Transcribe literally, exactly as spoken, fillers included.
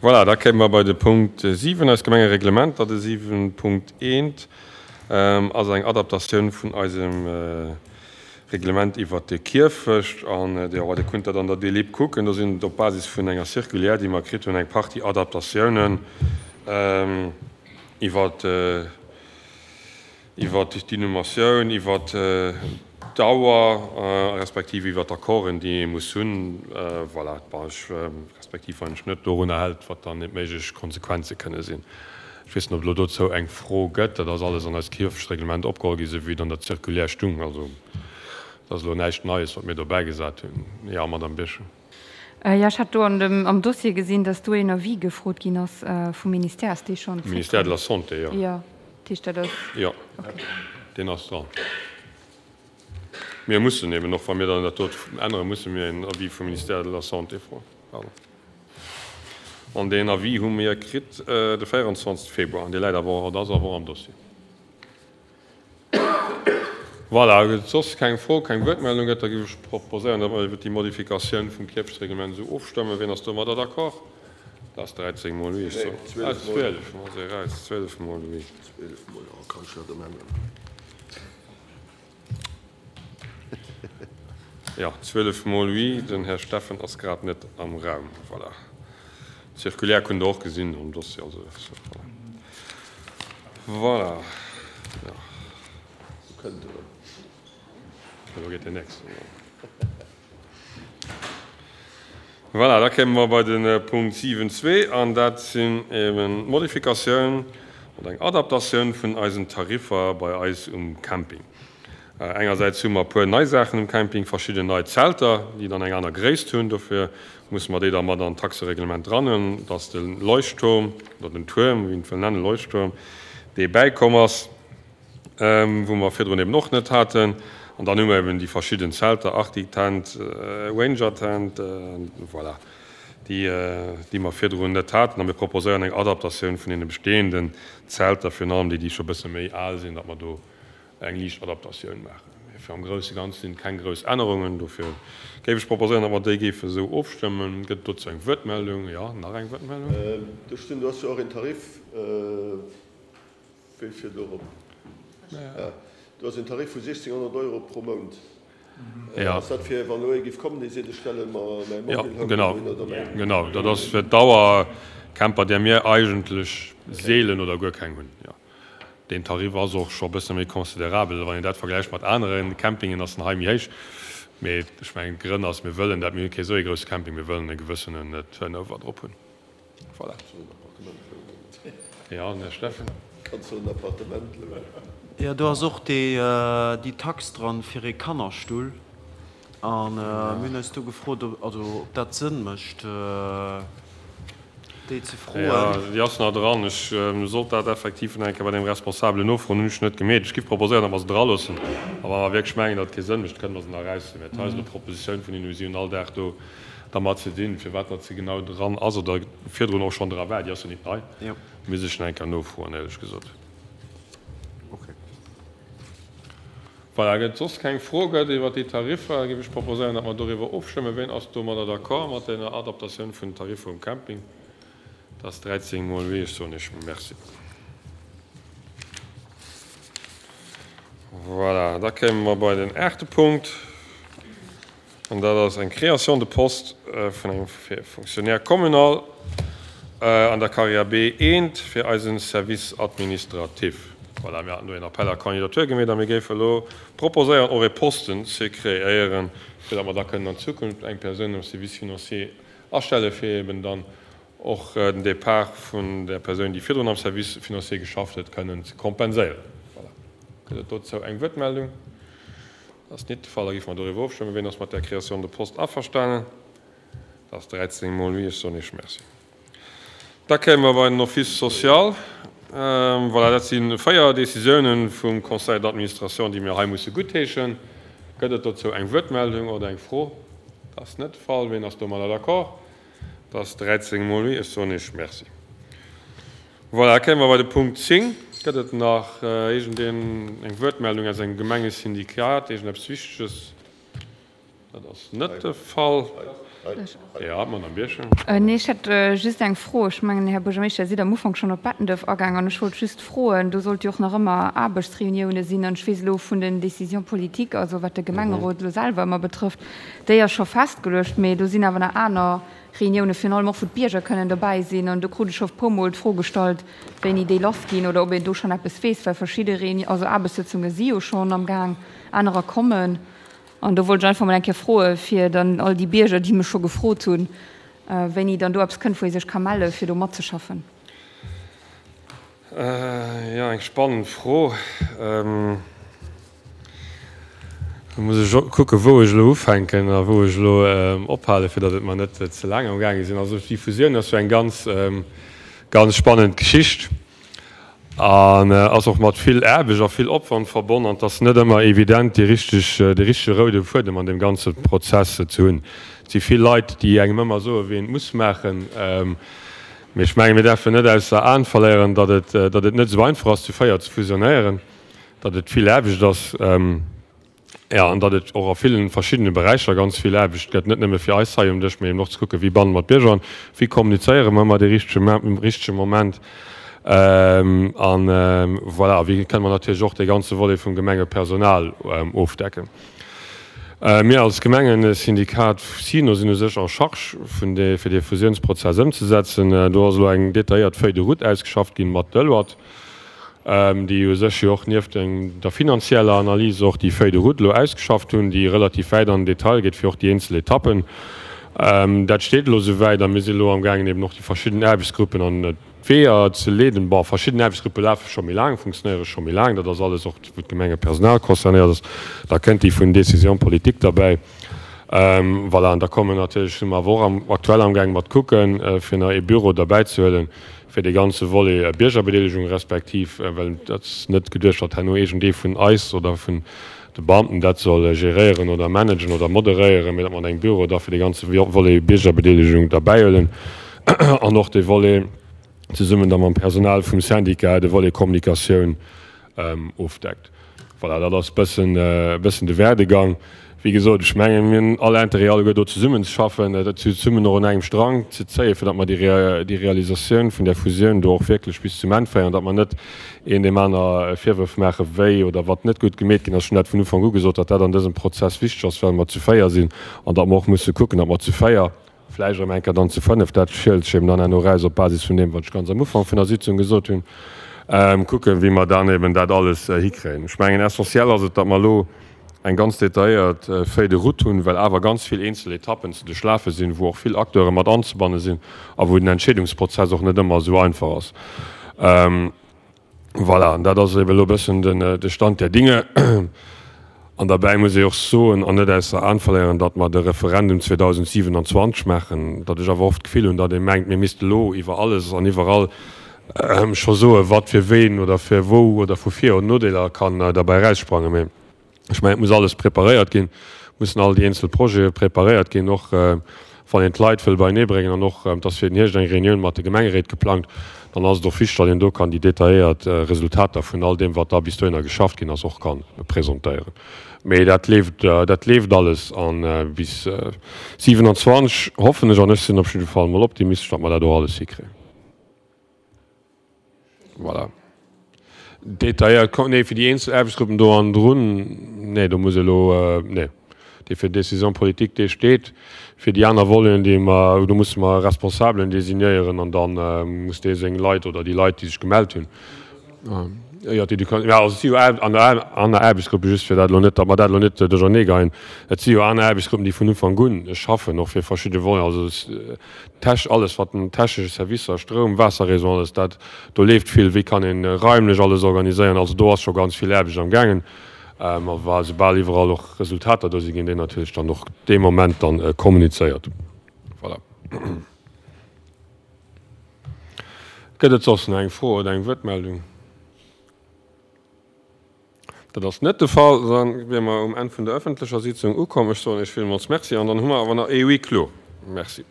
Voilà, da kéime mer bei de Punkt siwen, eist Gemengereglement. Dat de siwen Punkt eent ass eng Adaptatioun vun eisem Reglement iwwert de Kierfecht. An Dir Dir kunnt dat an der Delib kucken. Do sinn et op Basis vun enger Circulaire, déi mer kritt hunn, eng Partie Adaptatiounen iwwert iwwert d'Inhumatioun, iwwert d'Dauer respektiv iwwert d'Accorden, déi ee muss hunn. Voilà, bon, ech, respektiv wann een sech net dorunner hält, wat dann méiglech Konsequenze kënne sinn. Ech weess net, ob et elo dozou eng Fro gëtt. Dat ass alles an eist Kierfechtsreglement opgeholl ginn, esou wéi et an der Circulaire stung. Also, dat ass elo näischt Neies, wat mir do bäigesat hunn. Jo, Madame Birchen. Jo, ech hat do an dem, am Dossier gesinn, dass do een Avis gefrot ginn ass vum Ministère. Ass dee schonn zréckkomm? Ministère de la Santé, jo. Jo, dat heescht, dat ass. Jo, deen ass dran. Mir mussen eben och, wa mir dann dat dot änneren, musse mir een Avis vum Ministère de la Santé froen. Pardon. An deen Avis hu mir kritt de véierundzwanzeg Februar an dee läit awer och, oder ass awer och am Dossier. Voilà, gëtt et soss keng Fro, keng Wuertmeldung gëtt, da géif ech proposéieren, datt mer iwwert déi Modifikatioun vum Kierfechtsreglement esou ofstëmmen. Wien ass domadder d'accord? Dat ass dräizéng mol oui, ech soen. Ah, zwielef mol, se eraus, zwielef mol oui. Zwielef mol, oh, kann ech dat ëmänneren? Jo, zwielef mol oui. Den Här Steffen ass grad net am Raum. Voilà. D'Circulaire kunnt Der och gesinn am Dossier. Also, voilà. Voilà. Jo. Wou kënnt en erëm? Elo geet den nächsten erëm. Voilà, da kéime mer bei de Punkt siwen zwee, an dat sinn eben d'Modifikatioun oder eng Adaptatioun vun eisen Tariffer bei eis um Camping. Engersäits hu mer e puer nei Saachen um Camping, verschidden nei Zelter, déi dann eng aner Gréisst hunn. Dofir musse mer déi da mat an d'Taxereglement dran hunn, dass de Leuchtturm oder den Tuerm, wéi een et wëll nennen, Leuchtturm, dee bäikomm ass, wou mer virdrun eben och net haten. An dann hu mer eben déi verschidden Zelter, Arctic Tent, Ranger Tent, voilà, déi, déi mer virdrun net haten. A mir proposéieren eng Adaptatioun vun deene bestehenden Zelter, virun allem déi, déi scho e bësse méi al sinn, datt mer do eng liicht Adaptatioun maachen. Mee fir am grousse Ganze sinn et keng grouss Ännerungen. Dofir géif ech proposéieren, datt mer déi géife esou ofstëmmen. Gëtt et dozou eng Wuertmeldung? Jo, nach eng Wuertmeldung. Do stinn, do ass jo och een Tarif, wéi fir dorop, do ass een Tarif vu siechzehnhonnert Euro pro Mount. Ass dat fir, wann elo ee géif kommen, dee seet, ech stelle mer mäi Mobilhome dohin oder mäin. Jo, genau. Dat ass fir d'Dauercamper, där mir eigentlech seelen oder guer keng hunn. Jo. Deen Tarif ass och scho e bësse méi considerabel. Wann een dat vergläicht mat anere Campingen, ass en hei méi héich. Mee ech mengen, d'Grënn ass, mir wëllen dat, mir hunn kee sou ee grousse Camping, mir wëllen e gewëssenen Turnover drop hunn. Voilà. Jo, den Här Steffen. Jo, do ass och déi Tax dran fir ee Kannerstull. A mir hunn eis do gefrot, also ob dat Sënn mécht, déi ze froen. Jo, déi ass nach dran. Ech sollt dat effektiv nach eng Kéier bei deem Responsabelen nofroen. Hunn ech net gemeet. Ech giff proposéieren, datt mer se draloossen. A wa mer wierklech mengen, datt et kee Sënn mécht, kënne mer se nach eraushuelen. Mä et ass elo d'Propositioun vun hinnen. Si hunn all Dag do dermat ze dinn. Firwat datt se genau dran ass oder virdrun och schonn dra war, déi ass jo nit nei, misst ech nach eng Kéier nofroen, éierlech gesot. Voilà, gëtt et soss keng Fro gëtt iwwert déi Tariffer, géif ech proposéieren, datt mer doriwwer ofstëmmen. Wien ass domadder d'accord, mat deene Adaptatioun vun den Tariffer um Camping? Dat ass dräizéng mol oui. Ech soen Iech Merci. Voilà, da kéime mer bei den aachte Punkt. An dat ass eng Création de poste vun engem Fonctionnaire communal an der Carrière B eent fir eise Service administratif. Voilà, mir haten do een Appel à candidature gemeet a mir géife elo proposéieren, och ee Posten ze kreéieren, fir datt mer da kënnen an Zukunft eng Persoun am Service financier astelle fir eben dann och den Départ vun där Persoun, déi virdrun am Service financier geschafft huet, kënnen ze kompenséieren. Voilà. Gëtt et dozou eng Wuertmeldung? Dat ass nit de Fall. Da géife mer doriwwer ofstëmmen. Wien ass mat där Création de poste averstanen? Dat ass dräizéng mol oui. Ech soen Iech Merci. Da kéime mer bei den Office social. Voilà, dat si véier Décisiounen vum Conseil d'administration, déi mir hei musse guttheeschen. Gëtt et dozou eng Wuertmeldung oder eng Fro? Dat ass net de Fall. Wien ass domadder d'accord? Dat ass dräizéng mol oui. Ech soen Iech Merci. Voilà, da kéime mer bei de Punkt zéng. Gëtt et nach iergendeen eng Wuertmeldung aus engem Gemengesyndikat, iergendeppes Wichteges? Dat ass net de Fall. Ja, Madame Birchen. Nee, ech hätt just eng Fro. Ech mengen, Här Buergermeeschter, Dir sidd am Ufank schonn op Bettenduerf agaang an ech wollt just froen, do sollt jo och nach ëmmer Aarbechtsreunioune sinn an ech weess elo vun den Décisions politiques, also wat de Gemengerot elo selwer ëmmer betrëfft, déi ass scho festgeluecht, mee do sinn awer nach aner Reunioune, virun allem och wou d'Bierger kënnen dobäi sinn an do krut ech scho e puermol d'Fro gestallt, wéini déi lassginn oder ob een do schonn eppes weess, well verschidde Reuni-, also Aarbechtssëtzunge si jo schonn am Gaang, anerer kommen. An do wollt ech einfach mol eng Kéier froen, fir dann all déi Bierger, déi mech scho gefrot hunn, wéini dann do eppes kënnt, wou ee sech ka mellen, fir do matzeschaffen. Jo, eng spannend Fro. Do muss ech och kucken, wou ech elo ufänken a wou ech elo ophalen, fir datt et mer net ze laang am gaange sinn. Also déi Fusioun ass jo eng ganz, ganz spannend Geschicht. An ass och mat vill Aarbecht a vill Opwand verbonn. An et ass net ëmmer evident, déi richteg, de richtege roude Fuedem an deem ganze Prozess ze hunn. Et si vill Leit, déi engem ëmmer soen, wéi een et muss maachen. Mee ech mengen, mir däerfen net ausser Aen verléieren, datt et, datt et net esou einfach ass, zu véier ze fusionéieren, datt et vill Aarbecht ass. Jo, an datt et och a villen verschiddene Beräicher ganz vill Aarbecht gëtt, net nëmme fir eis hei um Dësch, mee eben och ze kucken, wéi banne mer d'Bierger an, wéi kommunizéiere mer ëmmer dee richtege, um richtege Moment an voilà, a wéi kënne mer natierlech och dee ganze Volet vum Gemengepersonal ofdecken. Mir als Gemengesyndikat SYNO sinn u sech en charge vun dee, fir dee Fusiounsprozess ëmzesetzen. Do ass elo eng detailléiert Feuille de route ausgeschafft ginn mat Deloitte. déi u sech jo och nieft der finanzieller Analys och déi Feuille de route elo ausgeschafft hunn, déi relativ wäit an den Detail geet fir och déi eenzel Etappen. Dat steet elo esouwäit a mir sinn elo amgaangen eben och déi verschidden Aarbechtsgruppen an d'Weeër ze leeden. Bon, verschidden Aarbechtsgruppe lafe scho méi laang, funktionéiere scho méi laang, dat ass alles och wou d'Gemengepersonal concernéiert ass. Da kënnt déi vun Décision politique derbäi. Voilà, an da kommen natierlech, si mer awer och am aktuell amgaangen mat kucken, fir nach ee Büro derbäizehuelen, fir dee ganze Volet Biergerbedeelegung respektiv, well et ass net geduecht, datt herno iergendee vun eis oder vun de Beamten dat soll geréieren oder managen oder moderéieren, mee datt mer an engem Büro da fir dee ganze Volet Biergerbedeelegung derbäihuelen an och dee Volet zesummen da mam Personal vum Syndicat, de Volet Kommunikatioun ofdeckt. Voilà, dat ass bëssen, bëssen de Werdegang. Wéi gesot, ech mengen, mir hunn all Interêt alleguer do zesummenzeschaffen, dat zesummen och un engem Strang ze zéien, fir datt mer déi Realisatioun vun där Fusioun do och wierklech bis zum Enn féieren, datt mer net een deem aner Virwërf maachen, wéi oder wat net gutt gemeet ginn ass. Ech hunn dat vun Ufank u gesot, datt dat an dësem Prozess wichteg ass, well mer zu véier sinn an datt mer och musse kucken, datt mer zu véier, vläicht erëm eng Kéier dann zu fënnef, dat schielt sech eben dann herno eraus op Basis vun deem, wat ech ganz am Ufank vun der Sitzung gesot hunn, kucken, wéi mer dann eben dat alles hikréien. Ech mengen, essentiell ass et, datt mer elo eng ganz detailléiert Feuille de route hunn, well awer ganz vill eenzel Etappen ze duerchlafe sinn, wou och vill Acteure mat anzebanne sinn a wou den Entscheedungsprozess och net ëmmer esou einfach ass. Voilà, an dat ass eben elo e bëssen de Stand der Dinge. An derbäi muss ee och soen an net ausser Aen verléieren, datt mer de Referendum zweedausendsiewenundzwanzeg maachen, datt ech awer oft d'Gefill hunn, datt ee mengt, mir misste elo iwwer alles an iwwerall scho soen, wat fir ween oder fir wou oder vu Vir oder Nodeeler kann derbäi eraussprangen. Mee ech mengen, et muss alles preparéiert ginn, mussen all déi eenzel Projete preparéiert ginn, och wann een d'Leit wëll beienee bréngen an och, et ass fir den Hierscht eng Reunioun mat de Gemengeréit geplangt, dann ass et och wichteg, datt een do kann déi detailléiert Resultater vun all deem, wat da bis dohinner geschafft ginn ass, och ka presentéieren. Mee dat leeft, dat leeft alles a bis siewenundzwanzeg hoffen ech, an ech sinn op jidde Fall mol optimistesch, datt mer dat och alles hikréien. Voilà. Detailléiert, nee, fir déi eenzel Aarbechtsgruppen do hannendrun, nee, do muss elo, nee, dee fir d'Décision politique, dee steet. Fir déi aner Voleten, déi mer, do musse mer Responsabelen designéieren an da muss dee seng Leit oder déi Leit, déi sech gemellt hunn, jo, déi, jo, also et si jo aner Aarbechtsgruppen, just fir dat elo net, datt mer dat elo net duercherneegeien, et si jo aner Aarbechtsgruppen, déi vun Ufank un schaffen, och fir verschidde Voleten, also Tech, alles wat den technesche Servicer, Stroum, Waasserréseau, alles dat, do leeft vill, wéi kann een raimlech alles organiséieren, also do ass scho ganz vill Aarbecht am gaangen. A wa soubal iwwerall och Resultater do sinn, ginn déi natierlech dann och dee Moment dann kommunizéiert. Voilà. Gëtt et soss nach eng Fro oder eng Wuertmeldung? Dat ass net de Fall. Da wiere mer um Enn vun der öffentlecher Sitzung ukomm. Ech soen Iech villmools Merci an dann hu mer awer nach ee Huis clos. Merci.